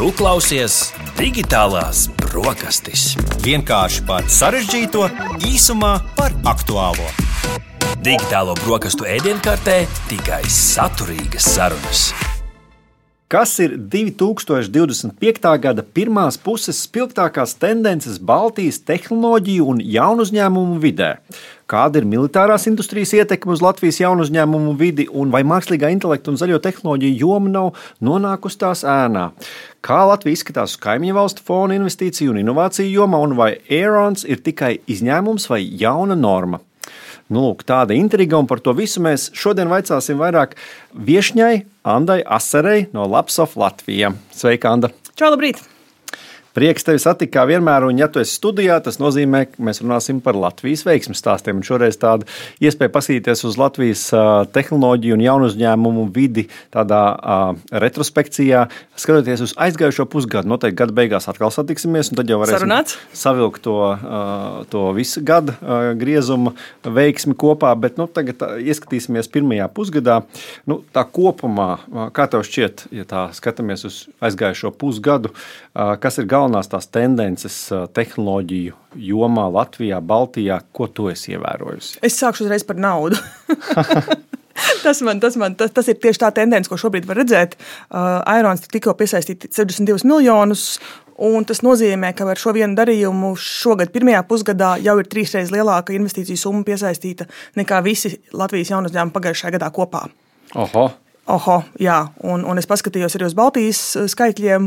Tu klausies Digitālās brokastis. Vienkārši par sarežģīto, īsumā par aktuālo. Digitālo brokastu ēdienkartē tikai saturīgas sarunas. Kas ir 2025. gada pirmās puses spilgtākās tendences Baltijas tehnoloģiju un jaunu uzņēmumu vidē? Kāda ir militārās industrijas ietekme uz Latvijas jaunu uzņēmumu vidi un vai mākslīgā intelekta un zaļo tehnoloģiju joma nav nonākusi tās ēnā? Kā Latvija izskatās uz kaimiņu valstu fona investīciju un inovāciju jomā un vai Aerons ir tikai izņēmums vai jauna norma? Lūk, tāda intriga, un par to visu mēs šodien vaicāsim vairāk viešņai Andai Aserei no Lapsoft Latvija. Sveika, Anda! Čau, labrīt! Prieks tevi satikt kā vienmēr, un ja tu esi studijā, tas nozīmē, ka mēs runāsim par Latvijas veiksmes stāstiem. Un šoreiz tāda iespēja paskatīties uz Latvijas tehnoloģiju un jaunu uzņēmumu vidi tādā retrospekcijā, skatoties uz aizgājušo pusgadu. Noteikti gada beigās atkal satiksimies, un tad jau varēsim savilkt to visu gada griezuma veiksmi kopā, bet tagad ieskatīsimies pirmajā pusgadā. Tā kopumā, kā tev šķiet, ja tā skatāmies uz aizgājušo pusgadu, kas ir galvenās tās tendences tehnoloģiju jomā Latvijā, Baltijā, ko tu esi ievērojusi? Es sākšu uzreiz par naudu. Tas ir tieši tā tendence, ko šobrīd var redzēt. Aerons tikko piesaistīja 62 miljonus, un tas nozīmē, ka ar šo vienu darījumu šogad pirmajā pusgadā jau ir 3 reizes lielāka investīciju summa piesaistīta nekā visi Latvijas jaunu uzņēmumu pagājušajā gadā kopā. Jā, un es paskatījos arī uz Baltijas skaitļiem,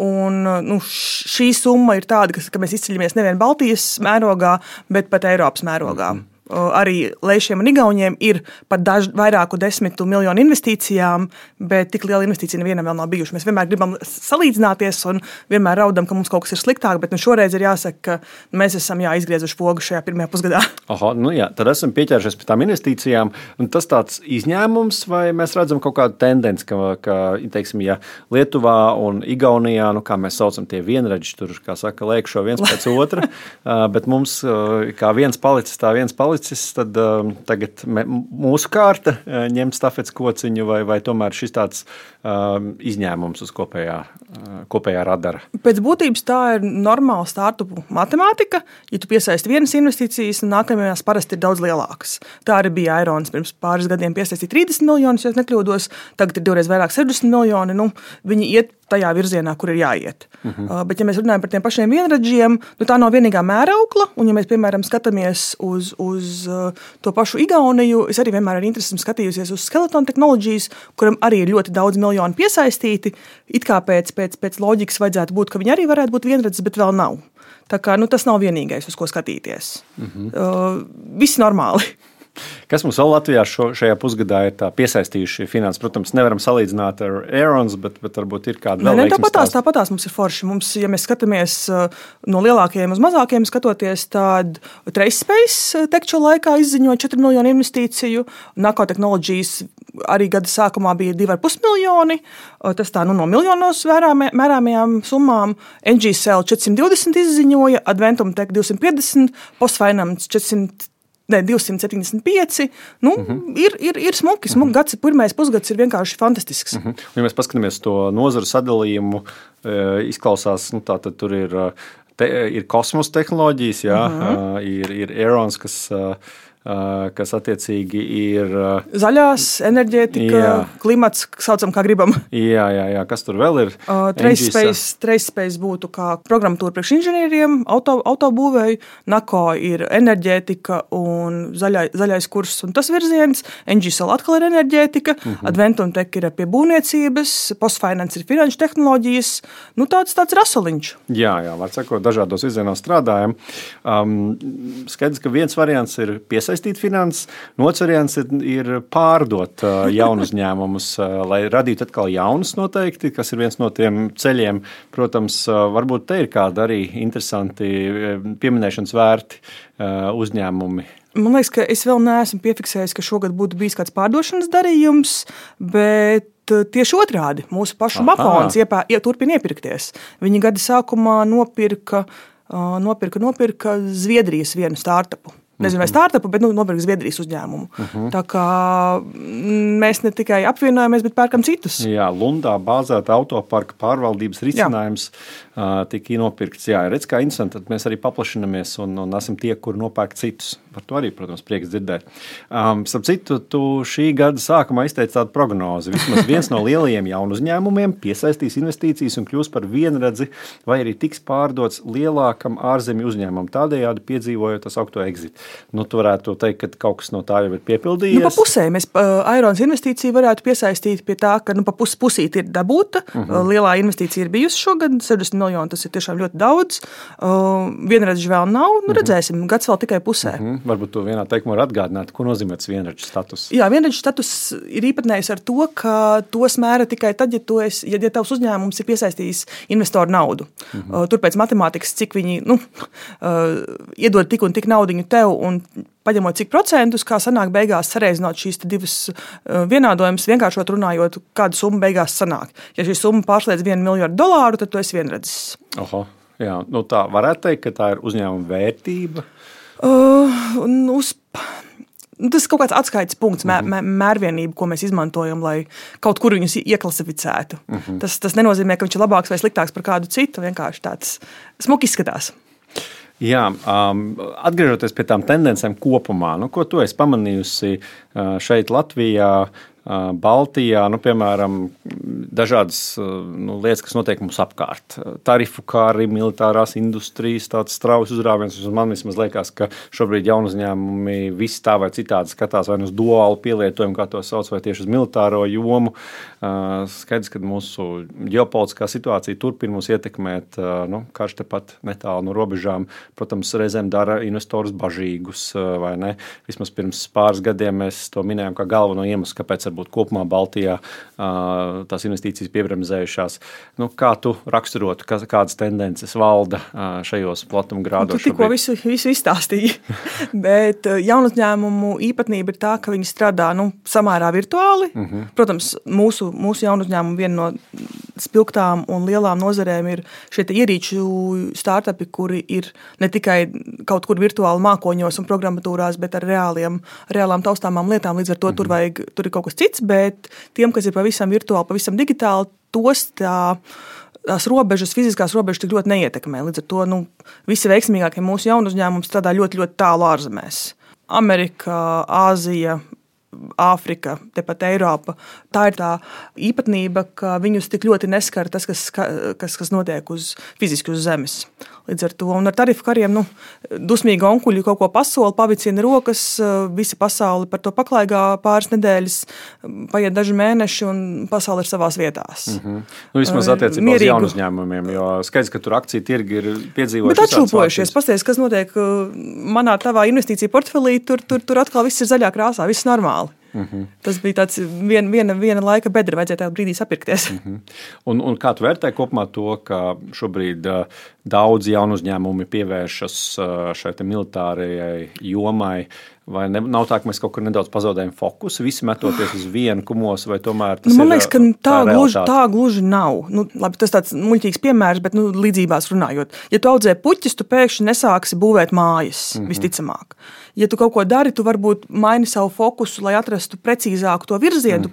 un šī summa ir tāda, ka mēs izceļamies nevien Baltijas mērogā, bet pat Eiropas mērogā. Arī Leišiem un Igauniem ir pat vairāku 10 miljonu investīcijām, bet tik liela investīcija nevienam vēl nav bijuši. Mēs vienmēr gribam salīdzināties un vienmēr raudam, ka mums kaut kas ir sliktāk, bet šoreiz ir jāsaka, ka mēs esam izgriezuši pogu šajā pirmajā pusgadā. Tad esam pieķēršies pie tām investīcijām, un tas tāds izņēmums, vai mēs redzam kaut kādu tendenci, ka teiksim, ja Lietuvā un Igaunijā, kā mēs saucam tie vienreģi, tur, kā saka, lēkšo viens pēc otra, bet mums kā viens palicis, tā viens palicis, tad tagad mūsu kārta ņemt stafets kociņu vai tomēr šis tāds izņēmums uz kopējā radara? Pēc būtības tā ir normāla startupu matemātika. Ja tu piesaisti vienas investīcijas, nākamajās parasti ir daudz lielākas. Tā arī bija Aerons pirms pāris gadiem piesaistīja 30 miljonus, ja es nekļūdos. Tagad ir 2 reizes vairāk 60 miljoni. Viņi iet tajā virzienā, kur ir jāiet. Bet, ja mēs runājam par tiem pašiem vienradžiem, tā nav vienīgā mēraukla. Un, ja mēs, piemēram, skatāmies uz to pašu Igauniju, es arī vienmēr ar interesi skatījusies uz Skeleton Technologies, kuram arī ir ļoti daudz miljonu piesaistīti. It kā pēc loģikas vajadzētu būt, ka viņi arī varētu būt vienradzes, bet vēl nav. Tā kā tas nav vienīgais, uz ko skatīties. Viss normāli. Kas mums vēl Latvijā šajā pusgadā ir piesaistījuši finanses? Protams, nevaram salīdzināt ar Aerons, bet varbūt ir kāda vēl veiksmes stāsta. Tāpatās mums ir forši. Ja mēs skatāmies no lielākajiem uz mazākajiem skatoties, tad TraceSpace tekču laikā izziņoja 4 miljonu investīciju. Nako Technologies arī gada sākumā bija 2,5 miljoni. Tas no miljonos mērāmajām summām. NGCell 420 izziņoja, Adventum Tech 250, Postfinance 275. Ir smuki. Gads, pirmais pusgads ir vienkārši fantastisks. Ja mēs paskatāmies to nozaru sadalījumu, izklausās, tātad tur ir kosmosa tehnoloģijas, ir Aerons, kas attiecīgi ir zaļās, enerģētika, klimats, saucam, kā gribam. Jā, kas tur vēl ir? TraceSpace būtu kā programmatūra priekš inženieriem, autobūvēju, Nako ir enerģētika un zaļais kurs un tas virziens, NGCell atkal ir enerģētika, Adventum Tech ir pie būvniecības, Postfinance ir finanšu tehnoloģijas, tāds rasoliņš. Jā, var sakot, dažādos virzienos strādājam. Skaidrs, ka viens variants ir piesaistīt finanses, otrs variants ir pārdot jaunu uzņēmumus, lai radītu atkal jaunus noteikti, kas ir viens no tiem ceļiem. Protams, varbūt te ir kādi arī interesanti pieminēšanas vērti uzņēmumi. Man liekas, ka es vēl neesmu piefiksējis, ka šogad būtu bijis kāds pārdošanas darījums, bet tieši otrādi. Mūsu pašu Mapons turpina iepirkties. Viņi gada sākumā nopirka Zviedrijas vienu startupu. Nezinu, vai startupu, bet nopirkt Zviedrijas uzņēmumu. Tā kā mēs ne tikai apvienojamies, bet pērkam citus. Jā, Lundā bāzēta autoparka pārvaldības risinājums tika nopirkts. Jā, redz, kā interesanti, tad mēs arī paplašinamies un esam tie, kur nopērk citus. Par to arī, protams, prieks dzirdēt. Starp citu, tu šī gada sākumā izteici tādu prognozi. Vismaz viens no lielajiem jaunu uzņēmumiem piesaistīs investīcijas un kļūs par vienredzi, vai arī tiks pārdots lielākam ārzemju uzņēmumam, tādējādi piedzīvojot tas augto exit. Tu varētu teikt, ka kaut kas no tā jau ir piepildījies. Pa pusē mēs Airons investīciju varētu piesaistīt pie tā, ka pa pusīt ir dabūta. Lielā investīcija ir bijusi šogad, 60 miljoni, tas ir tiešām ļoti daudz. Vienredzi vēl nav, redzēsim, gads vēl tikai pusē. Varbūt tu vienā teikumā var atgādināt, ko nozīmē tas vienredzi status. Jā, vienredzi status ir īpatnējis ar to, ka tos mēra tikai tad, ja tavs uzņēmums ir piesaistījis investoru naudu. Tur pēc matemātikas, cik viņi iedod tik un tik naudiņu tev un paņemot cik procentus, kā sanāk beigās sareizinot šīs divas vienādojumus, vienkāršot runājot, kāda summa beigās sanāk. Ja šī summa pārsliedz $1 miljardu, tad tu esi vienredzis. Oho, jā, tā varētu teikt, ka tā ir uzņēmuma vērtība. Tas ir kaut kāds atskaites punkts, mērvienība, ko mēs izmantojam, lai kaut kur viņus ieklasificētu. Tas nenozīmē, ka viņš ir labāks vai sliktāks par kādu citu, vienkārši tāds smuki izskatās. Jā, atgriežoties pie tām tendencēm kopumā, ko tu esi pamanījusi šeit Latvijā, Baltijā, piemēram, dažādas lietas, kas notiek mums apkārt. Tarifu kāri, militārās industrijas, tāds straujas uzrāviens. Man vismaz liekas, ka šobrīd jaunu uzņēmumi visi tā vai citādi skatās vai uz duālu pielietojumu, kā to sauc, vai tieši uz militāro jomu. Skaidrs, ka mūsu ģeopolitiskā situācija turpina mūs ietekmēt, karš tepat netālu no robežām. Protams, reizēm dara investorus bažīgus, vai ne? Vismaz pirms pāris gadiem mēs to minējām kā galveno iemeslu, kāpēc varbūt kopumā Baltijā tās investīcijas piebremzējušās. Kā tu raksturotu, kādas tendences valda šajos platumgrādos? Tu tikko visu izstāstīji, bet jaunu uzņēmumu īpatnība ir tā, ka viņi strādā samērā virtuāli. Protams, mūsu jaunu uzņēmumu viena no spilgtām un lielām nozarēm ir šie ierīču startupi, kuri ir ne tikai kaut kur virtuāli mākoņos un programmatūrās, bet ar reālām taustāmām lietām. Līdz ar to tur ir kaut kas cits, bet tiem, kas ir pavisam virtuāli, pavisam digitāli, tos tās robežas, fiziskās robežas tik ļoti neietekmē. Līdz ar to visi veiksmīgākie mūsu jaunu uzņēmumi strādā ļoti, ļoti tālu ārzemēs. Amerika, Āzija, Āfrika, tepat Eiropa. Tā ir tā īpatnība, ka viņus tik ļoti neskar tas, kas notiek fiziski uz zemes. Līdz ar to un ar tarifu kariem dusmīgi onkuļi kaut ko pasola, pavicina rokas, visa pasaule par to paklaigā pāris nedēļas, paiet daži mēneši un pasaule ir savās vietās. Vismaz attiecībā uz jaunu uzņēmumiem, jo skaidrs, ka tur akciju tirgi ir piedzīvojuši. Bet atšūpojušies, pasties, kas notiek manā tavā investīcija portfelī, tur atkal viss ir zaļā krāsā, viss normāli. Tas bija tāds viena laika bedra, vajadzēja tajā brīdī sapirkties. Un kā tu vērtē kopumā to, ka šobrīd daudz jaunu uzņēmumi pievēršas šai militārajai jomai, vai nav tā, ka mēs kaut kur nedaudz pazaudējam fokusu, visi metoties uz vienu kumosu, vai tomēr tas man liekas, ka tā gluži nav. Labi, tas tāds muļķīgs piemērs, bet līdzībās runājot. Ja tu audzē puķis, tu pēkšņi nesāksi būvēt mājas, visticamāk. Ja tu kaut ko dari, tu varbūt maini savu fokusu, lai atrastu precīzāku to virzienu,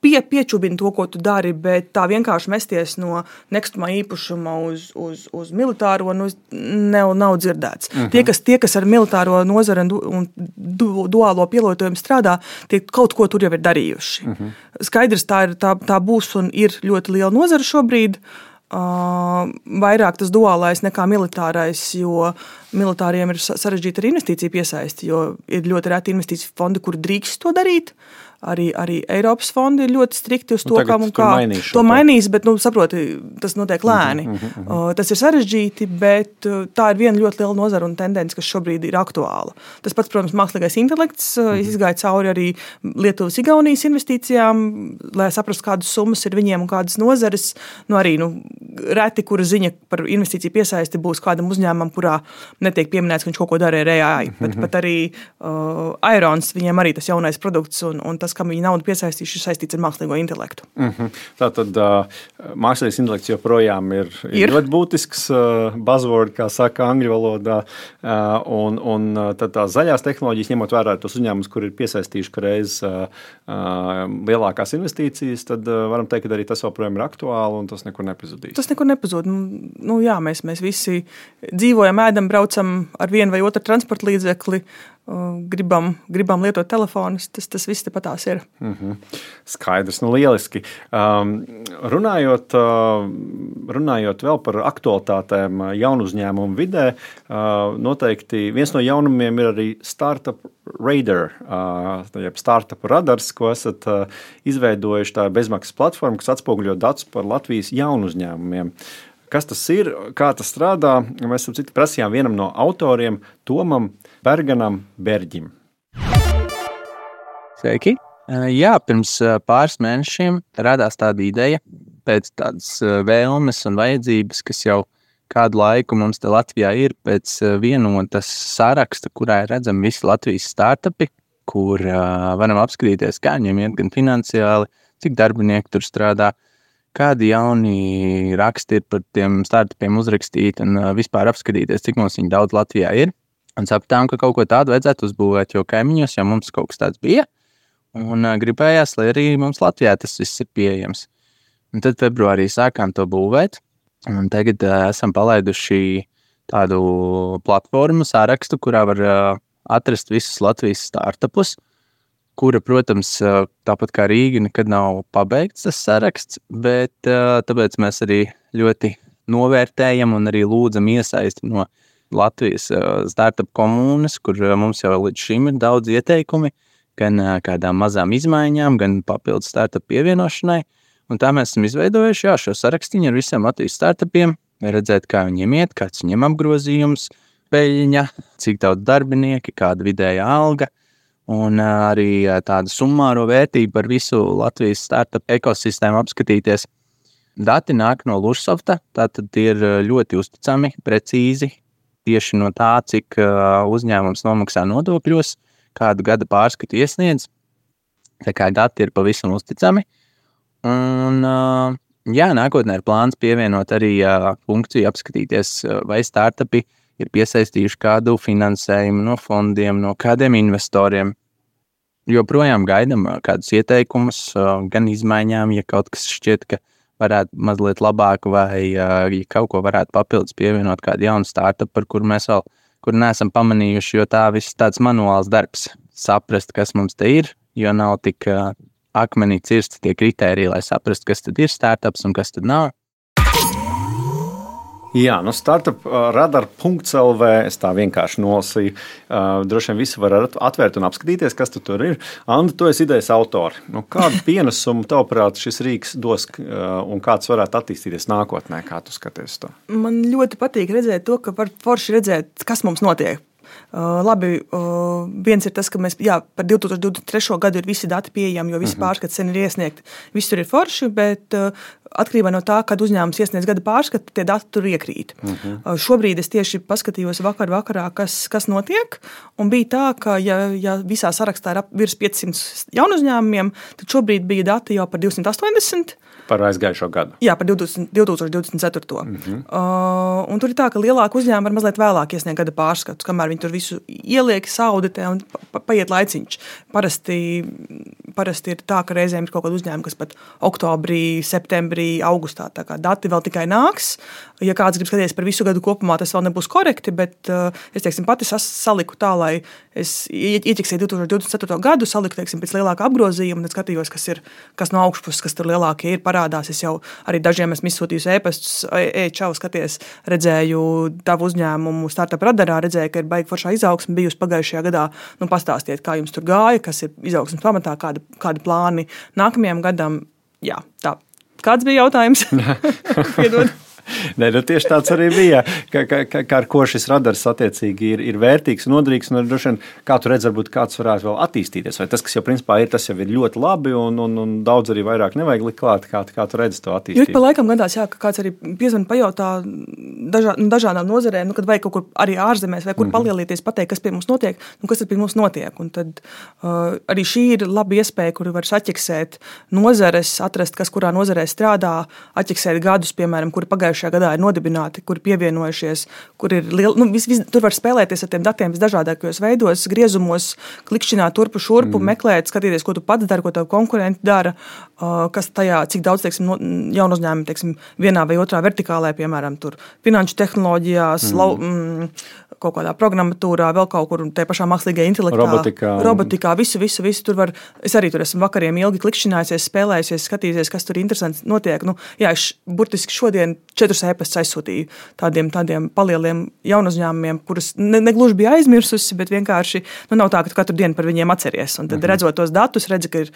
piečubini to, ko tu dari, bet tā vienkārši mesties no nekustamā īpašuma uz militāro nav dzirdēts. Tie, kas ar militāro nozari un duālo pielietojumu strādā, tie kaut ko tur jau ir darījuši. Skaidrs, tā būs un ir ļoti liela nozara šobrīd. Vairāk tas duālais nekā militārais, jo militāriem ir sarežģīta ar investīciju piesaisti, jo ir ļoti reti investīciju fondi, kur drīkst to darīt. Arī Eiropas fondi ir ļoti strikti uz to, kā to mainīs, bet, saproti, tas notiek lēni. Tas ir sarežģīti, bet tā ir viena ļoti liela nozara un tendence, kas šobrīd ir aktuāla. Tas pats, protams, mākslīgais intelekts izgāja cauri arī Lietuvas Igaunijas investīcijām, lai saprastu, kādas summas ir viņiem un kādas nozares. Arī reti, kura ziņa par investīciju piesaisti būs kādam uzņēmumam, kurā netiek pieminēts, ka viņš kaut ko dara ar AI. Bet arī Airons, viņiem arī tas jaunais produkts un tas, tas, kam viņi naudu piesaistījuši, ir saistīts ar mākslīgo intelektu. Tātad mākslīgais intelekts joprojām ir ļoti būtisks buzzword, kā saka angļu valodā, un tad tās zaļās tehnoloģijas, ņemot vērā tos uzņēmumus, kur ir piesaistījuši reiz lielākās investīcijas, tad varam teikt, ka arī tas joprojām ir aktuāli un tas nekur nepazudīs. Tas nekur nepazūd. Jā, mēs visi dzīvojam, ēdam, braucam ar vienu vai otru transporta līdzekli, gribam lietot telefonus, tas viss tepatās ir. Skaidrs, lieliski. Runājot vēl par aktualitātēm jaunu uzņēmumu vidē, noteikti viens no jaunumiem ir arī Startup Radar, jeb Startup radars, ko esat izveidojuši. Tā bezmaksas platforma, kas atspoguļo datus par Latvijas jaunu uzņēmumiem. Kas tas ir, kā tas strādā? Mēs prasījām vienam no autoriem, Tomam Berganam Berģim. Sveiki! Jā, pirms pāris mēnešiem radās tāda ideja pēc tādas vēlmes un vajadzības, kas jau kādu laiku mums te Latvijā ir, pēc vienotas saraksta, kurā ir redzami visi Latvijas startupi, kur varam apskatīties, kā viņiem iet gan finansiāli, cik darbinieki tur strādā, kādi jauni raksti ir par tiem startupiem uzrakstīti un vispār apskatīties, cik mums viņi daudz Latvijā ir. Un sapratām, ka kaut ko tādu vajadzētu uzbūvēt, jo kaimiņos jau mums kaut kas tāds bija. Un gribējās, lai arī mums Latvijā tas viss ir pieejams. Un tad februārī sākām to būvēt. Un tagad esam palaiduši tādu platformu sārakstu, kurā var atrast visus Latvijas startupus, kura, protams, tāpat kā Rīga, nekad nav pabeigts tas saraksts, bet tāpēc mēs arī ļoti novērtējam un arī lūdzam iesaisti no Latvijas startup komunas, kur mums jau līdz šim ir daudz ieteikumi, gan kādām mazām izmaiņām, gan papildus startup pievienošanai. Un tā mēs esam izveidojuši šo sarakstiņu ar visiem Latvijas startupiem, redzēt, kā viņiem iet, kāds viņiem apgrozījums, peļņa, cik daudz darbinieki, kāda vidēja alga, un arī tādu summāro vērtību par visu Latvijas startup ekosistēmu apskatīties. Dati nāk no Lužsofta, tātad ir ļoti uzticami, precīzi, tieši no tā, cik uzņēmums nomaksā nodokļos, kādu gada pārskatu iesniedz. Tā kā dati ir pavisam uzticami. Un nākotnē ir plāns pievienot arī funkciju apskatīties, vai startupi ir piesaistījuši kādu finansējumu no fondiem, no kādiem investoriem. Joprojām gaidam kādus ieteikumus, gan izmaiņām, ja kaut kas šķiet, ka varētu mazliet labāk, vai ja kaut ko varētu papildus pievienot kādu jaunu startup, par kuru mēs vēl neesam pamanījuši, jo tā viss tāds manuāls darbs. Saprast, kas mums te ir, jo nav tik akmenī cirsti tie kritēriji, lai saprastu, kas tad ir startups un kas tad nav. Jā, startupradar.lv, es tā vienkārši nolasīju. Droši vien visi var atvērt un apskatīties, kas tur ir. Anda, tu esi idejas autori. Kādu pienesumu tavuprāt šis rīks dos un kāds varētu attīstīties nākotnē, kā tu skaties to? Man ļoti patīk redzēt to, ka var forši redzēt, kas mums notiek. Labi, viens ir tas, ka mēs par 2023. gadu ir visi dati pieejami, jo visi pārskati sen ir iesniegti. Viss tur ir forši, bet atkarībā no tā, kad uzņēmums iesniedz gada pārskatu, tie dati tur iekrīt. Šobrīd es tieši paskatījos vakarā, kas notiek, un bija tā, ka ja visā sarakstā ir virs 500 jaunu uzņēmumiem, tad šobrīd bija dati jau par 280. Par aizgājušo gadu. Jā, par 2024. Un tur ir tā, ka lielāki uzņēmumi var mazliet vēlāk iesniegt gada pārskatus, kamēr viņi tur visu ieliek, sauditē un paiet laiciņš. Parasti ir tā, ka reizēm ir kaut kāda uzņēmuma, kas pat oktobrī, septembrī, augustā, tā kā dati vēl tikai nāks. Ja kāds grib skatīties par visu gadu kopumā, tas vēl nebūs korekti, bet es pati saliku tā, lai es ieķeksēju 2024. gadu, saliku pēc lielāka apgrozījuma, tad skatījos, kas no augšpuses, kas tur lielākie ir, parādās. Es jau arī dažiem esmu izsūtījusi e-pastus, čau, skaties, redzēju tavu uzņēmumu Startup radarā, redzēju, ka ir baigi foršā izaugsme bijusi pagājušajā gadā. Pastāstiet, kā jums tur gāja, kas ir izaugsmes pamatā, kādi plāni nākamajam gadam. Jā, tā. Kāds bija jautājums? Piedod. Nē, tieši tāds arī bija. Kā ar ko šis radars attiecīgi ir vērtīgs un noderīgs. Un droši vien, kā tu redzi, varbūt kāds varētu vēl attīstīties. Vai tas, kas jau principā ir, tas jau ir ļoti labi un daudz arī vairāk nevajag likt klāt. Kā tu redzi to attīstību? Jo ik pa laikam gadās, ka kāds arī piezvan pajautā dažādām nozarēm, kad vajag kaut kur arī ārzemēs vai kur palielīties, pateikt, kas pie mums notiek, kas tad pie mums notiek. Un tad arī šī ir laba iespēja, kuru var saķeksēt nozares, atrast, kas kurā nozarē strādā, atķeksēt gadus, piemēram, kuri pagājušajā gadā ir nodibināti, kuri pievienojušies, kur ir liela, tur var spēlēties ar tiem datiem visdažādākajos veidos, griezumos, klikšķināt turpu šurpu, meklēt, skatīties, ko tu pats dari, ko tavu konkurenti dara, kas tajā, cik daudz, teiksim, jaunu uzņēmumu, teiksim, vienā vai otrā vertikālē, piemēram, tur finanšu tehnoloģijās, kaut kādā programmatūrā, vēl kaut kur tajā pašā mākslīgajā intelektā, robotikā, visu tur var, es arī tur esmu vakariem ilgi klikšķinājusies, spēlējusies, skatījusies, kas tur interesants notiek. Es burtiski šodien 4 e-pastus aizsūtīju tādiem palieliem jaunu uzņēmumiem, kurus negluži bija aizmirsusi, bet vienkārši nav tā, ka tu katru dienu par viņiem atceries. Un tad redzot tos datus, redzi, ka ir,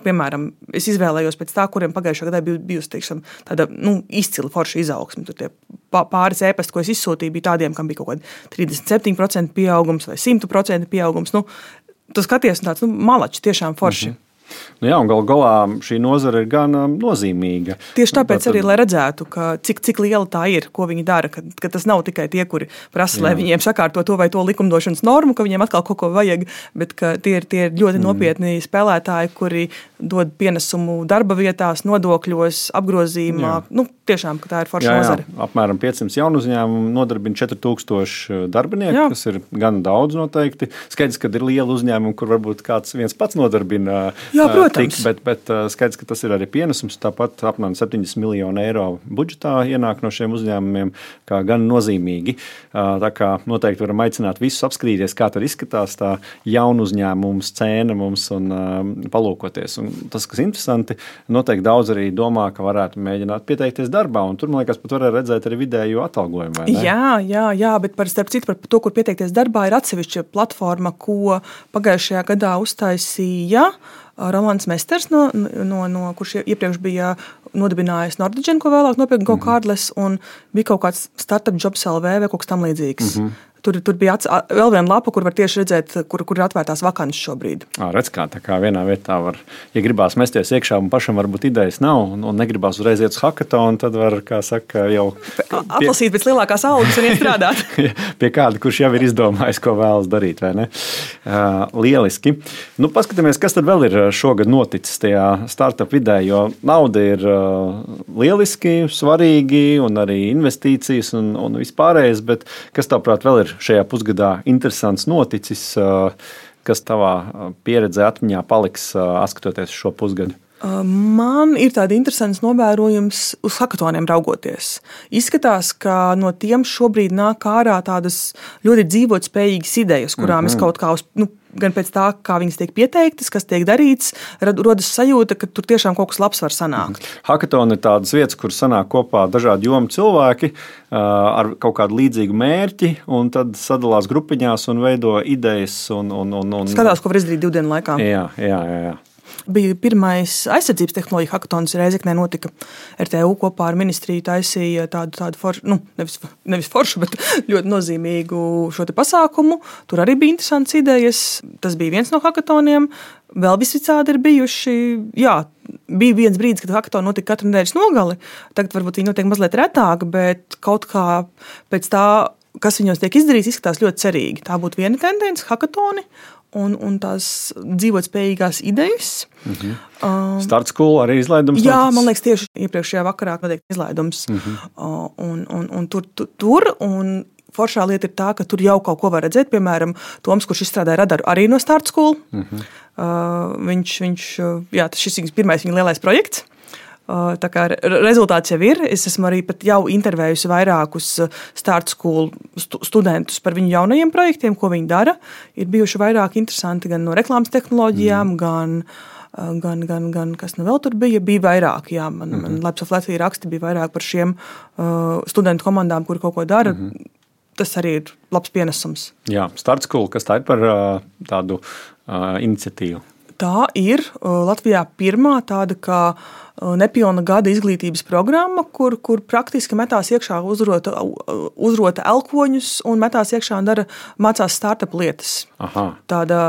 piemēram, es izvēlējos pēc tā, kuriem pagājušā gadā bijusi, teiksim, tāda, izcila forša izaugsme. Tur tie pāris e-pasti, ko es izsūtīju, bija tādiem, kam bija kaut kādi 37% pieaugums vai 100% pieaugums. Tu skaties un tāds, malači, tiešām forši. Jā, un galā šī nozara ir gan nozīmīga. Tieši tāpēc arī, lai redzētu, cik liela tā ir, ko viņi dara, ka tas nav tikai tie, kuri prasa, lai viņiem sakārto to vai to likumdošanas normu, ka viņiem atkal kaut ko vajag, bet ka tie ir ļoti nopietni spēlētāji, kuri dod pienesumu darba vietās, nodokļos, apgrozījumā. Tiešām, ka tā ir forša nozara. Apmēram 500 jaunu uzņēmumu nodarbina 4000 darbinieku, kas ir gan daudz noteikti. Skaidrs, ka ir liela uzņēmuma, kur varbūt kāds viens pats nodarbina. Jā, protams. Bet skaidrs, ka tas ir arī pienesums. Tāpat apmēram 70 miljonu eiro budžetā ienāk no šiem uzņēmumiem, kā gan nozīmīgi. Tā kā noteikti varam aicināt visus apskatīties, kā tad izskatās tā jaunu uzņēmumu scēna mums un palūkoties. Un tas, kas interesanti, noteikti daudz arī domā, ka varētu mēģināt pieteikties darbā, un tur, man liekas, pat varētu redzēt arī vidējo atalgojumu, vai ne? Jā, bet starp citu par to, kur pieteikties darbā, ir atsevišķa platforma, ko pagājušajā gadā uztaisīja Rolands Mesters, kurš iepriekš bija nodibinājis Nordigen, ko vēlāk nopirka GoCardless, un bija kaut kāds startup jobs LV vai kaut kas tam līdzīgs. Tur bija vēl viena lapa, kur var tieši redzēt, kur ir atvērtās vakances šobrīd. Redz, tā kā vienā vietā var, ja gribās mesties iekšā un pašam varbūt idejas nav un negribās uzreiz iet uz hackathonu, tad var, kā saka, jau atlasīt pēc lielākās algas un iet strādāt. Pie kāda, kurš jau ir izdomājis, ko vēlas darīt, vai ne? Lieliski. Paskatāmies, kas tad vēl ir šogad noticis tajā startup vidē, jo nauda ir lieliski, svarīgi un arī investīcijas un vispārējais, bet kas tavuprāt vēl ir šajā pusgadā interesants noticis, kas tavā pieredzē atmiņā paliks, skatoties šo pusgadu? Man ir tādi interesants novērojums uz hackathoniem raugoties. Izskatās, ka no tiem šobrīd nāk ārā tādas ļoti dzīvotspējīgas idejas, kurām es kaut kā gan pēc tā, kā viņas tiek pieteiktas, kas tiek darīts, rodas sajūta, ka tur tiešām kaut kas labs var sanākt. Hackathoni ir tādas vietas, kur sanāk kopā dažādi jomu cilvēki ar kaut kādu līdzīgu mērķi, un tad sadalās grupiņās un veido idejas. Skatās, ko var izdarīt 2 dienu laikā. Jā. Bija pirmais aizsardzības tehnoloģija hackathons Rēzeknē notika. RTU kopā ar ministriju taisīja tādu foršu, nevis foršu, bet ļoti nozīmīgu šo te pasākumu. Tur arī bija interesants idejas. Tas bija viens no hackathoniem. Vēl visicādi ir bijuši, bija viens brīdis, kad hackathoni notika katru nedēļas nogali. Tagad varbūt viņi notiek mazliet retāk, bet kaut kā pēc tā, kas viņos tiek izdarīts, izskatās ļoti cerīgi. Tā būtu viena tendence, hackathoni. Un tās dzīvotspējīgās idejas. Start School arī izlaidums? Jā, man liekas, tieši iepriekšējā vakarā noteikti izlaidums. Un tur foršā lieta ir tā, ka tur jau kaut ko var redzēt. Piemēram, Toms, kurš izstrādāja radaru arī no Start School. Šis ir pirmais viņa lielais projekts. Tā kā rezultāts jau ir. Es esmu arī pat jau intervējusi vairākus Start School studentus par viņu jaunajiem projektiem, ko viņi dara. Ir bijuši vairāk interesanti gan no reklāmas tehnoloģijām, gan kas vēl tur bija. Bija vairāk, man Labs of Latvija raksti bija vairāk par šiem studentu komandām, kuri kaut ko dara. Tas arī ir labs pienesums. Jā, Start School, kas tā ir par tādu iniciatīvu? Tā ir Latvijā pirmā tāda kā nepilna gada izglītības programma, kur praktiski metās iekšā uzrota elkoņus un metās iekšā un mācās startup lietas. Aha. Tāda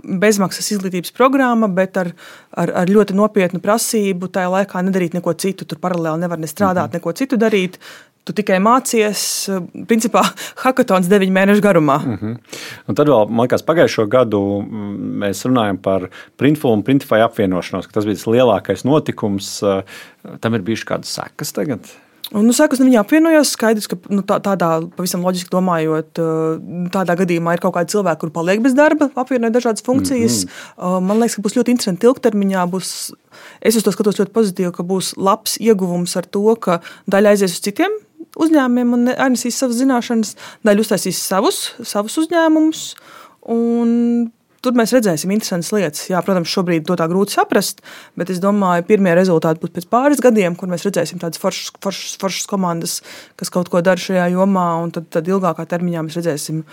bezmaksas izglītības programma, bet ar ļoti nopietnu prasību tajā laikā nedarīt neko citu. Tur paralēli nevar ne strādāt, neko citu darīt. Tu tikai mācies, principā, hackathons 9 mēnešu garumā. Un tad vēl, man liekas, pagājušo gadu mēs runājam par Printful un Printify apvienošanos, ka tas bija tas lielākais notikums. Tam ir bijušas kādas sekas tagad? Sekas viņi apvienojās. Skaidrs, ka tādā pavisam loģiski domājot, tādā gadījumā ir kaut kādi cilvēki, kuri paliek bez darba, apvienoja dažādas funkcijas. Man liekas, ka būs ļoti interesanti ilgtermiņā. Es uz to skatos ļoti pozitīvi, ka būs labs ieguvums ar to, ka daļa aizies uz citiem uzņēmumiem un ainesīs savas zināšanas, daļa uztaisīs savus uzņēmumus. Tur mēs redzēsim interesantas lietas. Jā, protams, šobrīd to tā grūti saprast, bet es domāju, pirmie rezultāti būs pēc pāris gadiem, kur mēs redzēsim tādas foršas komandas, kas kaut ko dara šajā jomā, un tad ilgākā termiņā mēs redzēsim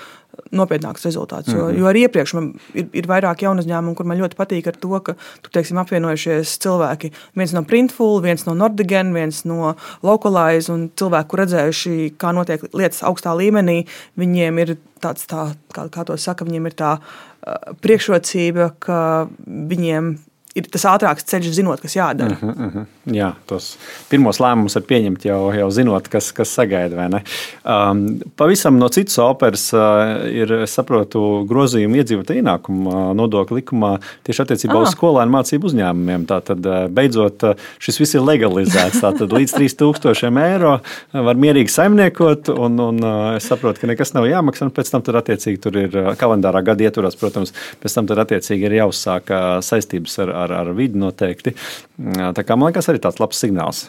nopietnākus rezultātus. Jo arī iepriekš man ir vairāk jaunu uzņēmumu, kur man ļoti patīk ar to, ka tur, teiksim, apvienojušies cilvēki. Viens no Printful, viens no Nordigen, viens no Localize, un cilvēki, kur redzējuši, kā notiek lietas augstā līmenī, viņiem ir tāds, kā to saka, viņiem ir tā priekšrocība, ka viņiem ir tas ātrāks ceļš, zinot, kas jādara. Jā, tos pirmos lēmumus var pieņemt jau zinot, kas sagaida, vai ne? Pavisam no citas operas ir, es saprotu, grozījumi iedzīvotāju ienākumu nodokļu likumā tieši attiecībā uz skolēnu mācību uzņēmumiem. Tātad beidzot šis viss ir legalizēts. Tātad līdz 3,000 eiro var mierīgi saimniekot, un es saprotu, ka nekas nav jāmaksā, un pēc tam tur attiecīgi tur ir kalendārā gada ietvaros, protams, pēc tam tur attiecīgi ir jāuzsāk saistības ar vidi noteikti. Tā kā, man liekas, arī tāds labs signāls.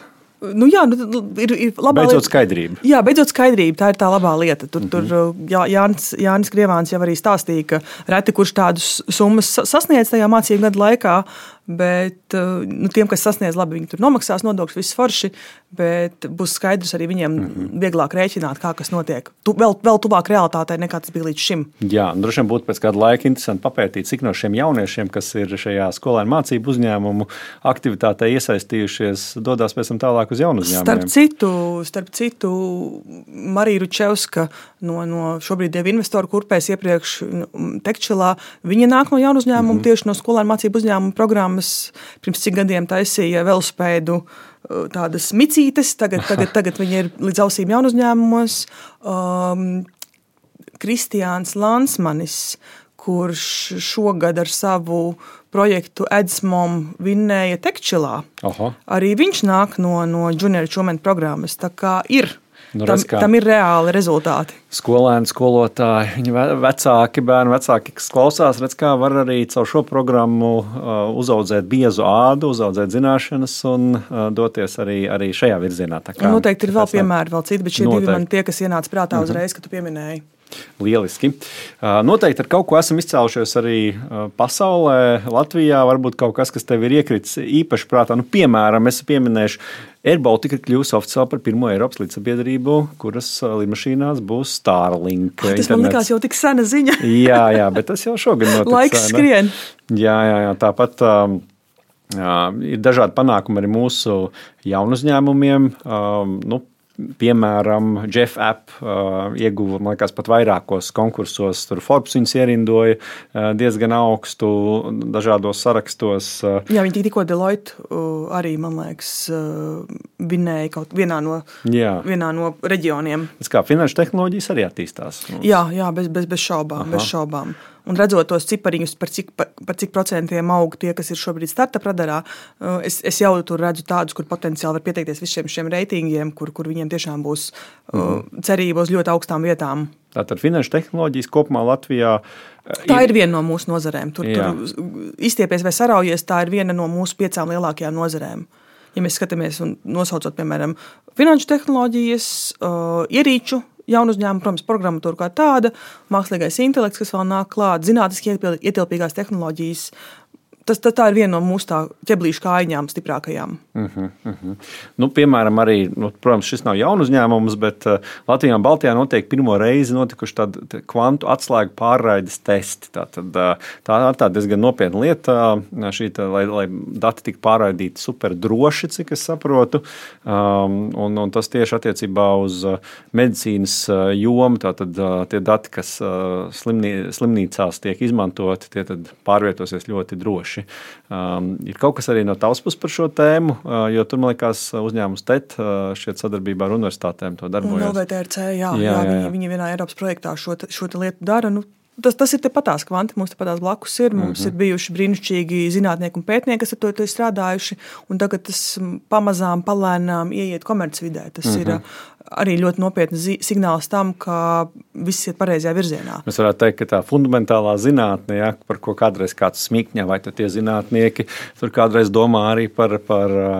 Ir labā beidzot skaidrība. Jā, beidzot skaidrība. Tā ir tā labā lieta. Tur Jānis Krievāns jau arī stāstīja, ka reti kurš tādus summas sasniedz tajā mācību gadu laikā, bet tiem, kas sasniedz labi, viņi tur nomaksās nodokļus, viss forši, bet būs skaidrs arī viņiem vieglāk rēķināt, kā kas notiek. Vēl tuvāk realitātei nekā tas bija līdz šim. Jā, droši vien būtu pēc kāda laika interesanti papētīt, cik no šiem jauniešiem, kas ir šajā skolēnu mācību uzņēmumu aktivitātē iesaistījušies, dodās pēc tam tālāk uz jaunu uzņēmumiem. Starp citu, Marija Ručevska no šobrīd jau investoru kurpēs iepriekš Tekčilā, viņa nāk no jaunu uzņēmumu, tieši no skolēnu mācību uzņēmumu programmas. Pirms cik gadiem taisīja velospēdu tādas micītes, tagad viņi ir līdz ausīm jaunu uzņēmumos. Kristiāns Lansmanis, kurš šogad ar savu projektu Edzmom vinnēja Tekčilā. Arī viņš nāk no Junior Achievement programmas, tā kā ir. Tam ir reāli rezultāti. Skolēni, skolotāji, viņa vecāki, bērni vecāki, kas klausās, redz, kā var arī caur šo programmu uzaudzēt biezu ādu, uzaudzēt zināšanas un doties arī šajā virzienā. Noteikti ir vēl piemēri, vēl citi, bet šie divi man tie, kas ienāca prātā uzreiz, ka tu pieminēji. Lieliski. Noteikti ar kaut ko esam izcēlušies arī pasaulē, Latvijā. Varbūt kaut kas, kas tev ir iekritis īpaši prātā. Piemēram, es pieminēšu, Air Baltica ir kļuvusi oficiāli par pirmo Eiropas līdzsabiedrību, kuras lidmašīnās būs Starlink. Tas man likās jau tik sena ziņa. jā, bet tas jau šogad notiks. Laiks skrien. Jā, tāpat ir dažādi panākumi arī mūsu jaunu uzņēmumiem. Piemēram, Jeff App ieguva, man liekas, pat vairākos konkursos. Tur Forbes viņus ierindoja diezgan augstu dažādos sarakstos. Jā, viņi tikko Deloitte arī, man liekas, vinnēja kaut vienā no reģioniem. Tas kā finanšu tehnoloģijas arī attīstās. Jā, bez šaubām. Un redzot tos cipariņus, par cik procentiem aug tie, kas ir šobrīd startup radarā, es jau tur redzu tādus, kur potenciāli var pieteikties visiem šiem reitingiem, kur viņiem tiešām būs cerība uz ļoti augstām vietām. Tātad finanšu tehnoloģijas kopumā Latvijā tā ir viena no mūsu nozarēm. Tur izstiepies vai saraujies, tā ir viena no mūsu 5 lielākajām nozarēm. Ja mēs skatāmies un nosaucot, piemēram, finanšu tehnoloģijas, ierīču, jaunu uzņēmumu, protams, programmatūra kā tāda, mākslīgais intelekts, kas vēl nāk klāt, zinātniski ietilpīgās tehnoloģijas. tā ir viena no mūsu ķeblīšu kājiņām stiprākajām. Nu, piemēram, arī, protams, šis nav jaunu uzņēmums, bet Latvijā un Baltijā notiek pirmo reizi notikuši tādi kvantu atslēgu pārraides testi. Tā ir diezgan nopietna lieta, lai dati tiktu pārraidīti super droši, cik es saprotu. Un tas tieši attiecībā uz medicīnas jomu, tātad tie dati, kas slimnīcās tiek izmantoti, tie tad pārvietosies ļoti droši. Ir kaut kas arī no tavas puses par šo tēmu, jo tur, man liekas, uzņēmums TET šķiet sadarbībā ar universitātēm to darbojas. Un LVTRC, jā, viņi vienā Eiropas projektā šo lietu dara. Tas ir tepatās kvanti, mums tepatās blakus ir. Mums ir bijuši brīnišķīgi zinātnieki un pētnieki, kas ar to ir strādājuši, un tagad tas pamazām, palēnām ieiet komercvidē. Tas ir arī ļoti nopietns signāls tam, ka viss iet pareizajā virzienā. Mēs varētu teikt, ka tā fundamentālā zinātne, par ko kādreiz kāds smīkņā, vai tie zinātnieki tur kādreiz domā arī par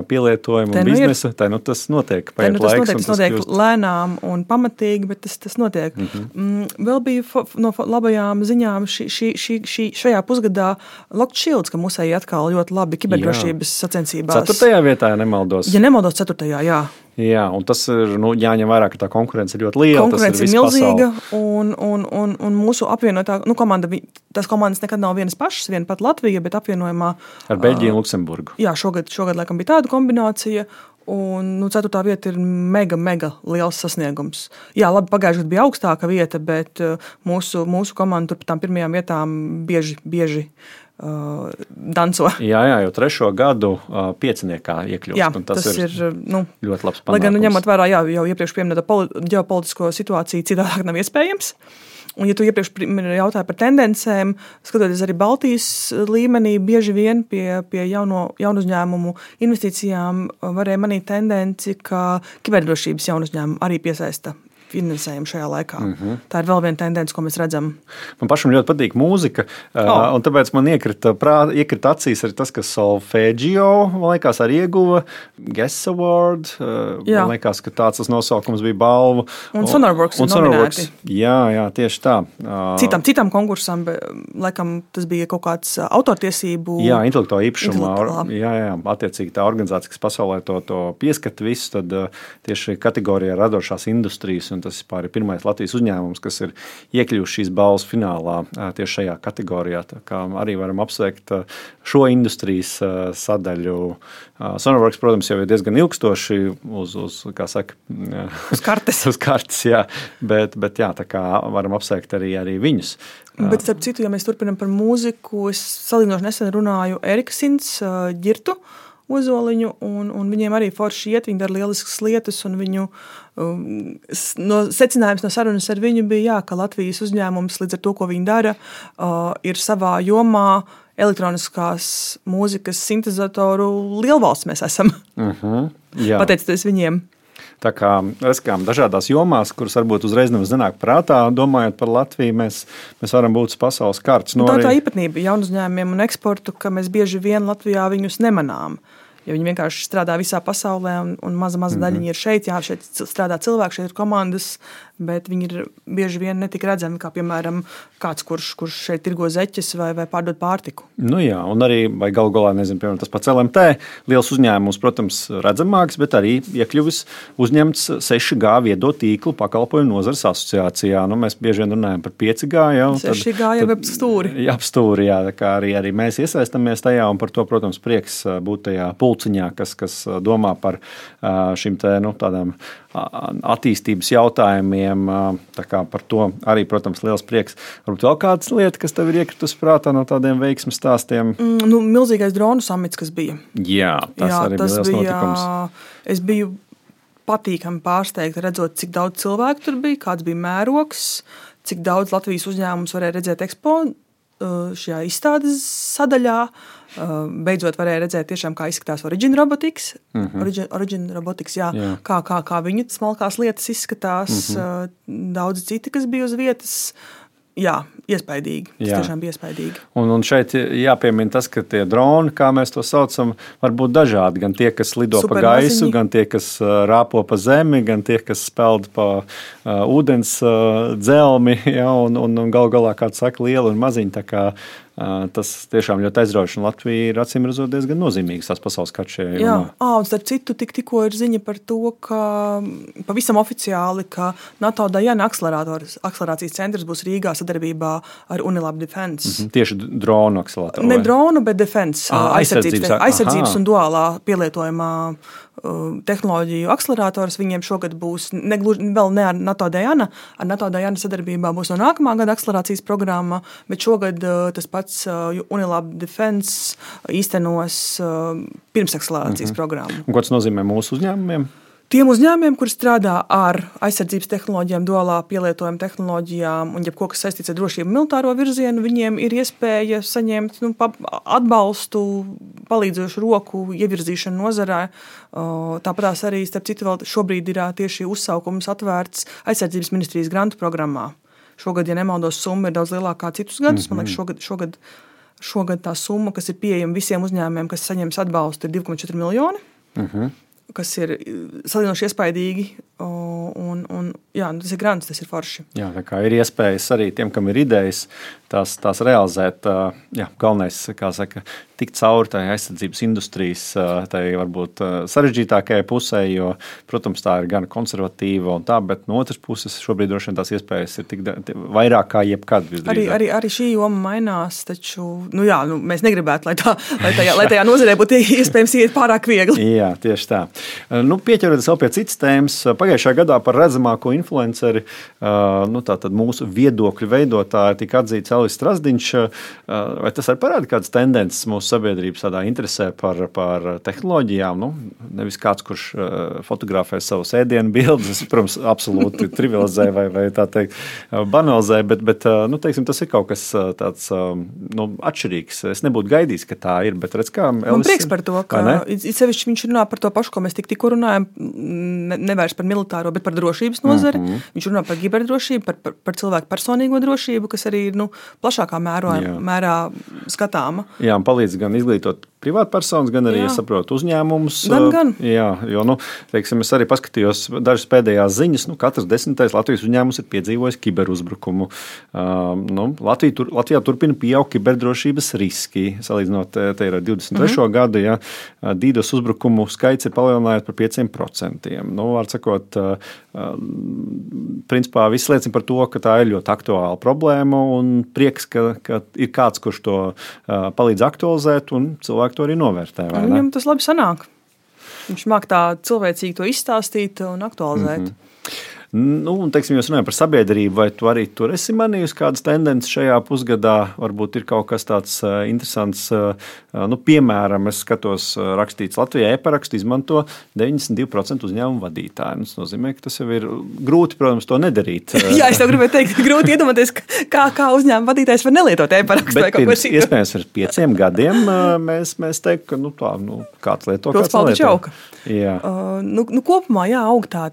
pielietojumu un biznesu, tas notiek. Tas notiek lēnām un pamatīgi, bet tas notiek. Vēl bija no labajām ziņām šajā pusgadā Locked Shields, ka musēji atkal ļoti labi kiberdrošības sacensībās. 4. vietā, ja nemaldos. Ja nemaldos, 4. jā. Jā, un tas ir jāņem vērā, ka tā konkurence ir ļoti liela. Konkurence ir milzīga, un mūsu apvienotā komanda, tās komandas nekad nav vienas pašas, viena pat Latvija, bet apvienojumā ar Beļģiju un Luksemburgu. Jā, šogad laikam bija tāda kombinācija, un 4. vieta ir mega liels sasniegums. Jā, labi, pagājušajā gadā bija augstāka vieta, bet mūsu komanda tur par tām pirmajām vietām bieži danco. Jā, jau 3. gadu pieciniekā iekļūst. Jā, tas ir ļoti labs panākums. Lai gan ņemot vērā, jau iepriekš pieminēto ģeopolitisko situāciju, citādāk nav iespējams. Un, ja tu iepriekš jautāji par tendencēm, skatoties arī Baltijas līmenī, bieži vien pie jaunu uzņēmumu investīcijām varēja manīt tendenci, ka kiberdrošības jaunu uzņēmumu arī piesaista finansējumu šajā laikā. Tā ir vēl viena tendence, ko mēs redzam. Man pašam ļoti patīk mūzika, un tāpēc man iekrita acīs arī tas, ka Solfeggio, man liekas, arī ieguva Guess Award. Man liekas, ka tāds tas nosaukums bija balvu. Un Sonarworks ir nominēti. Jā, tieši tā. Citam konkursam, laikam, tas bija kaut kāds autortiesību. Jā, intelektuālā īpašumā. Jā, attiecīgi tā organizācija, kas pasaulē to pieskata visu, tad tieši kategorijā radošās industrijas, un tas ir pirmais Latvijas uzņēmums, kas ir iekļuvuši šīs balvas finālā tieši šajā kategorijā. Tā kā arī varam apsveikt šo industrijas sadaļu. Sonarworks, protams, jau ir diezgan ilgstoši uz kartes. Uz kartes, jā. Bet jā, tā kā varam apsveikt arī viņus. Bet, starp citu, ja mēs turpinām par mūziku, es salīdzinoši nesen runāju Erika Sints ģirtu Ozoliņu, un viņiem arī forši iet, viņi dara lieliskas lietas, un viņu secinājums no sarunas ar viņu bija, ka Latvijas uzņēmums līdz ar to, ko viņi dara, ir savā jomā elektroniskās mūzikas sintezatoru lielvalsts mēs esam. Pateicoties viņiem. Tā kā riskām dažādās jomās, kuras varbūt uzreiz nevis nenāk prātā, domājot par Latviju, mēs varam būt uz pasaules kartes. Tā īpatnība jaunu uzņēmumiem un eksportu, ka mēs bieži vien Latvijā viņus nemanām. Jo viņi vienkārši strādā visā pasaulē, un maza daļiņa ir šeit. Jā, šeit strādā cilvēki, šeit ir komandas, bet viņi ir bieži vien netik redzami, kā, piemēram, kāds, kurš šeit tirgo zeķes vai pārdod pārtiku. Jā, un arī, vai galu galā, nezinu, piemēram, tas pats LMT, liels uzņēmums, protams, redzamāks, bet arī iekļuvis uzņemts 6G viedo tīklu pakalpojumu nozares asociācijā. Mēs bieži vien runājam par 5G. 6G jau ap stūri. Jā, ap stūri, jā, tā kā arī mēs iesaistamies tajā, un par to, protams, prieks būt tajā pulciņā, kas domā par šim tādām attīstības jautājumiem. Tā kā par to arī, protams, liels prieks. Varbūt vēl kādas lietas, kas tev ir iekritus prātā no tādiem veiksmes stāstiem? Milzīgais dronu samits, kas bija. Jā, tas arī bija liels notikums. Es biju patīkami pārsteigta redzot, cik daudz cilvēku tur bija, kāds bija mērogs, cik daudz Latvijas uzņēmums varēja redzēt Expo šajā izstādes sadaļā. Beidzot varēja redzēt tiešām, kā izskatās Origin Robotics. Origin Robotics, jā. Kā viņa smalkās lietas izskatās. Daudz citi, kas bija uz vietas. Jā, iespaidīgi. Tas tiešām bija iespaidīgi. Un šeit jāpiemina tas, ka tie droni, kā mēs to saucam, var būt dažādi. Gan tie, kas lido pa gaisu, gan tie, kas rāpo pa zemi, gan tie, kas speld pa ūdens dzelmi, ja, un gal galā, kāds saka, liela un maziņa. Tā kā Tas tiešām ļoti aizraujoši, un Latvija ir acīmredzot diezgan nozīmīgs tās pasaules skats šajā jomā. Jā, un starp citu, tikko ir ziņa par to, ka pavisam oficiāli, ka NATO Dajana akcelerācijas centrs būs Rīgā sadarbībā ar Unilab Defense. Tieši dronu akceleratoru? Ne dronu, bet defense, aizsardzības un duālā pielietojumā tehnoloģiju akcelerators. Viņiem šogad būs vēl ne ar NATO Dajana. Ar NATO Dajana sadarbībā būs no nākamā gada akcelerācijas programma, bet šogad tas pats Unilab Defense īstenos pirmsakcelerācijas programmu. Un ko tas nozīmē mūsu uzņēmumiem? Tiem uzņēmumiem, kuri strādā ar aizsardzības tehnoloģijām, duālā pielietojuma tehnoloģijām un jebko, kas saistīts ar drošību militāro virzienu, viņiem ir iespēja saņemt atbalstu, palīdzošu roku, ievirzīšanu nozarē. Tāpatās arī, starp citu, vēl šobrīd ir tieši uzsaukums atvērts aizsardzības ministrijas grantu programmā. Šogad, ja nemaldos, summa ir daudz lielākā citus gadus. Man liekas, šogad tā summa, kas ir pieejama visiem uzņēmumiem, kas saņems atbalstu, ir 2,4 miljoni. Kas ir salīdzinoši iespaidīgi, un tas ir grants, tas ir forši. Jā, tā kā ir iespējas arī tiem, kam ir idejas, tās realizēt. Galvenais, kā saka, tikt cauri tai aizsardzības industrijas, tai varbūt sarežģītākajai pusē, jo, protams, tā ir gan konservatīva un tā, bet no otras puses šobrīd droši vien tās iespējas ir vairāk kā jebkad. Arī šī joma mainās, taču, mēs negribētu, lai tajā nozarē būtu iespējams iet pārāk viegli. Jā, tieši tā. Pieķeroties vēl pie citas tēmas, pagājušajā gadā par redzamāko influenceri, tātad mūsu viedokļu veidotāji tika atzīts Elvis Strasdiņš. Vai tas arī parāda kādas tendences mūsu sabiedrības tādā interesē par tehnoloģijām? Nevis kāds, kurš fotografē savus ēdienu bildes, protams, absolūti trivializē vai tā teikt banalizē, bet teiksim, tas ir kaut kas tāds atšķirīgs. Es nebūtu gaidījis, ka tā ir, bet redz, kā Elvis... Man prieks par to, ka sevišķi viņš runā par to pašu, ko mēs tikko runājam, nevairs par militāro, bet par drošības nozari. Viņš runā par kiberdrošību, par cilvēku personīgo drošību, kas arī ir plašākā mērā skatāma. Jā, un palīdz gan izglītot privātpersonas, gan arī, es saprotu, uzņēmumus. Gan. Jā, jo, teiksim, es arī paskatījos dažas pēdējās ziņas, katrs 10. Latvijas uzņēmums ir piedzīvojis kiberuzbrukumu. Latvijā turpina pieaugt kiberdrošības riski. Salīdzinot, te ir 23. gadu, DDoS uzbrukumu skaits ir palielinājies par 5%. Var sakot, principā viss liecina par to, ka tā ir ļoti aktuāla problēma un prieks, ka ir kāds, kurš to palīdz aktualizēt un cilvēki to arī novērtē. Viņam tas labi sanāk. Viņš māk tā cilvēcīgi to izstāstīt un aktualizēt. Un, teiksim, jūs runājat par sabiedrību, vai tu arī tur esi manījusi kādas tendences šajā pusgadā? Varbūt ir kaut kas tāds interesants. Piemēram, es skatos rakstīts Latvijā e-parakstu izmanto 92% uzņēmumu vadītāji. Tas nozīmē, ka tas jau ir grūti, protams, to nedarīt. Jā, es tev gribēju teikt, grūti iedomāties, kā uzņēmuma vadītājs var nelietot e-parakstu vai kaut ko citu. Iespējams, ar 5 gadiem mēs teiktu, ka kāds lieto, kāds nelieto. Jā. Kopumā, aug tā.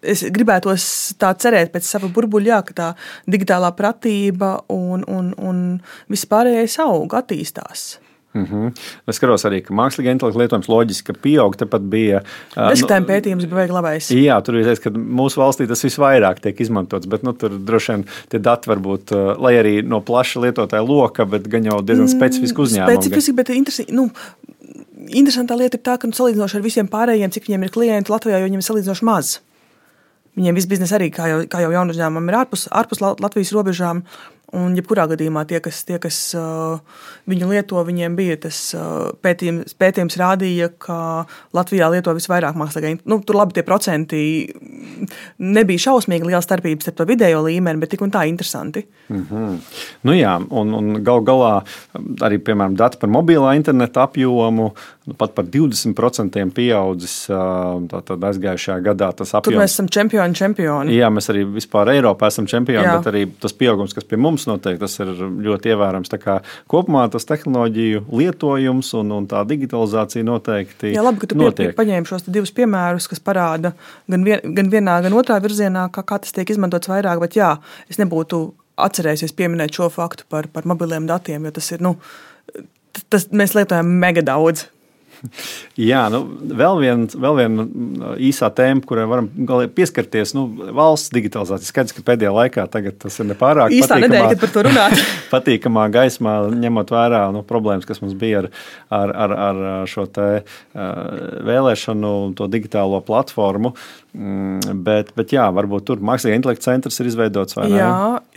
Es gribētos tā cerēt pēc sava burbuļā, ka tā digitālā pratība un vispārējais aug, attīstās. Es skatos arī, ka mākslīgā intelekta lietojums loģiski pieaug. Tepat bija bezskatājuma pētījums bija labais. Jā, tur ir teiks, ka mūsu valstī tas visvairāk tiek izmantots, bet tur droši vien tie dati varbūt, lai arī no plaša lietotāja loka, bet gan jau diezgan specifiski uzņēmumi. Specifiski, bet interesantā lieta ir tā, ka salīdzinoši ar visiem pārējiem, cik viņiem ir klienti Latvijā, jo viņiem ir salīdzinoši maz. Viņiem viss biznesa arī, kā jau jaunu uzņēmumam, ir ārpus Latvijas robežām. Un jebkurā gadījumā tie, kas viņu lieto, viņiem bija tas pētījums rādīja, ka Latvijā lieto visvairāk mākslīgā intelekta. Tur labi tie procenti nebija šausmīgi liela starpības starp to vidējo līmeni, bet tik un tā interesanti. Jā, un galā arī, piemēram, dati par mobilā interneta apjomu, pat par 20% pieaudzis tātad aizgājušajā gadā tas apjoms. Tur mēs esam čempioni. Jā, mēs arī vispār Eiropā esam čempioni, bet arī tas pieaugums, kas pie mums noteikti, tas ir ļoti ievērams. Tā kā kopumā tas tehnoloģiju lietojums un tā digitalizācija noteikti notiek. Jā, labi, ka tu paņēmi šos divus piemērus, kas parāda gan vienā, gan otrā virzienā, kā tas tiek izmantots vairāk, bet es nebūtu atcerējusies pieminēt šo faktu par mobiliem datiem, jo tas ir, mēs lietojam mega daudz. Jā, vēl viena īsā tēma, kurai varam pieskarties, valsts digitalizācija. Skaidrs, ka pēdējā laikā tas ir nepārāk īstā nedēļa, kad par to runāt. Patīkamā gaismā, ņemot vērā problēmas, kas mums bija ar šo te vēlēšanu, to digitālo platformu. Bet jā, varbūt tur mākslīgā intelekta centrs ir izveidots, vai ne? Jā,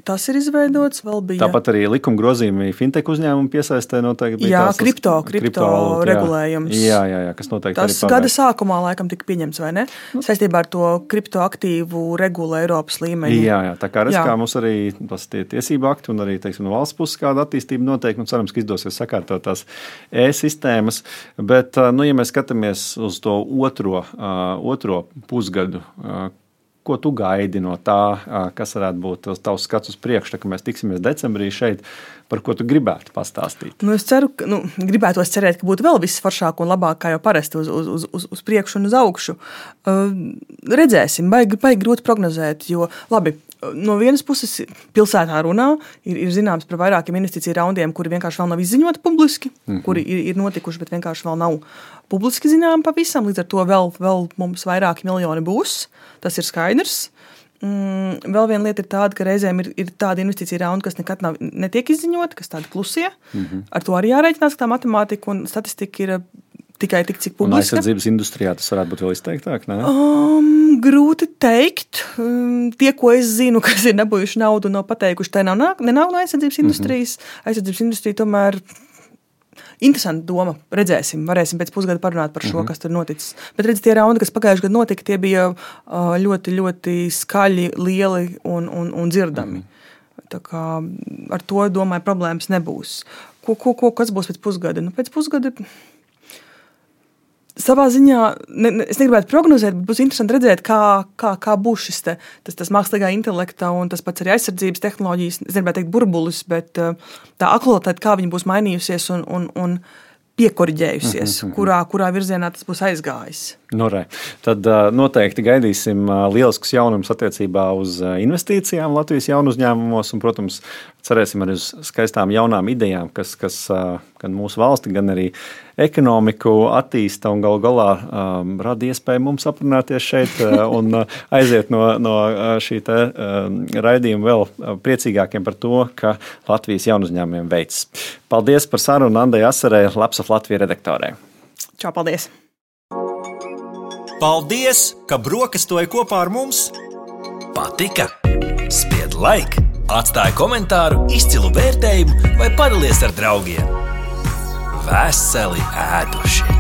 tas ir izveidots, vēl bija. Tāpat arī likuma grozījumi fintech uzņēmumu piesaistē noteikti. Jā, kripto regulējums. Jā, kas noteikti tas arī gada sākumā laikam tika pieņemts, vai ne? Saistībā ar to kriptoaktīvu regulu Eiropas līmeņi. Jā, tā kā kā mums arī tas tie tiesību akti un arī, teiksim, no valsts puses kāda attīstība noteikti, un cerams, ka izdosies sakārtot tās e-sistēmas. Bet, ja mēs skatāmies uz to otro pusgadu, ko tu gaidi no tā, kas varētu būt tavs skats uz priekšu, tā, ka mēs tiksimies decembrī šeit, par ko tu gribētu pastāstīt? Es ceru, ka gribētos cerēt, ka būtu vēl viss foršāk un labāk, kā jau parasti uz priekšu un uz augšu. Redzēsim, baigi grūti prognozēt, jo labi, no vienas puses pilsētā runā, ir zināms par vairākiem investīciju raundiem, kuri vienkārši vēl nav izziņoti publiski, kuri ir notikuši, bet vienkārši vēl nav publiski zinām pavisam, līdz ar to vēl mums vairāki miljoni būs, tas ir skaidrs. Vēl viena lieta ir tāda, ka reizēm ir tāda investīcija raunda, kas nekad netiek izziņota, kas tāda klusie. Ar to arī jārēķinās, ka tā matemātika un statistika ir tikai tik, cik publiska. Un aizsardzības industrijā tas varētu būt vēl izteiktāk, ne? Grūti teikt. Tie, ko es zinu, kas ir nebūjuši naudu, nav pateikuši, tā nav no aizsardzības industrijas. Aizsardzības industrija tomēr interesanti doma. Redzēsim, varēsim pēc pusgada parunāt par šo, kas tur noticis. Bet redz, tie raundi, kas pagājuši gadu notika, tie bija ļoti, ļoti skaļi, lieli un dzirdami. Tā kā ar to, domāju, problēmas nebūs. Kas būs pēc pusgada? Pēc pusgada savā ziņā, es negribētu prognozēt, bet būs interesanti redzēt, kā būs šis tas mākslīgā intelekta un tas pats arī aizsardzības tehnoloģijas, es negribētu teikt burbulis, bet tā aktualitāte, kā viņa būs mainījusies un piekoriģējusies, kurā virzienā tas būs aizgājis. Tad noteikti gaidīsim lieliskus jaunumus attiecībā uz investīcijām Latvijas jaunu uzņēmumos un, protams, cerēsim arī uz skaistām jaunām idejām, kas gan mūsu valsti, gan arī ekonomiku attīsta un galu galā rada iespēju mums aprunāties šeit un aiziet no šī te raidījuma vēl priecīgākiem par to, ka Latvijas jaunu uzņēmumiem veids. Paldies par sarunu Andai Asarei, Lapsaf Latvija redaktorē. Čau, paldies! Paldies, ka brokastoji kopā ar mums! Patika? Spied like, atstāj komentāru, izcilu vērtējumu vai padalies ar draugiem. Veseli ēduši!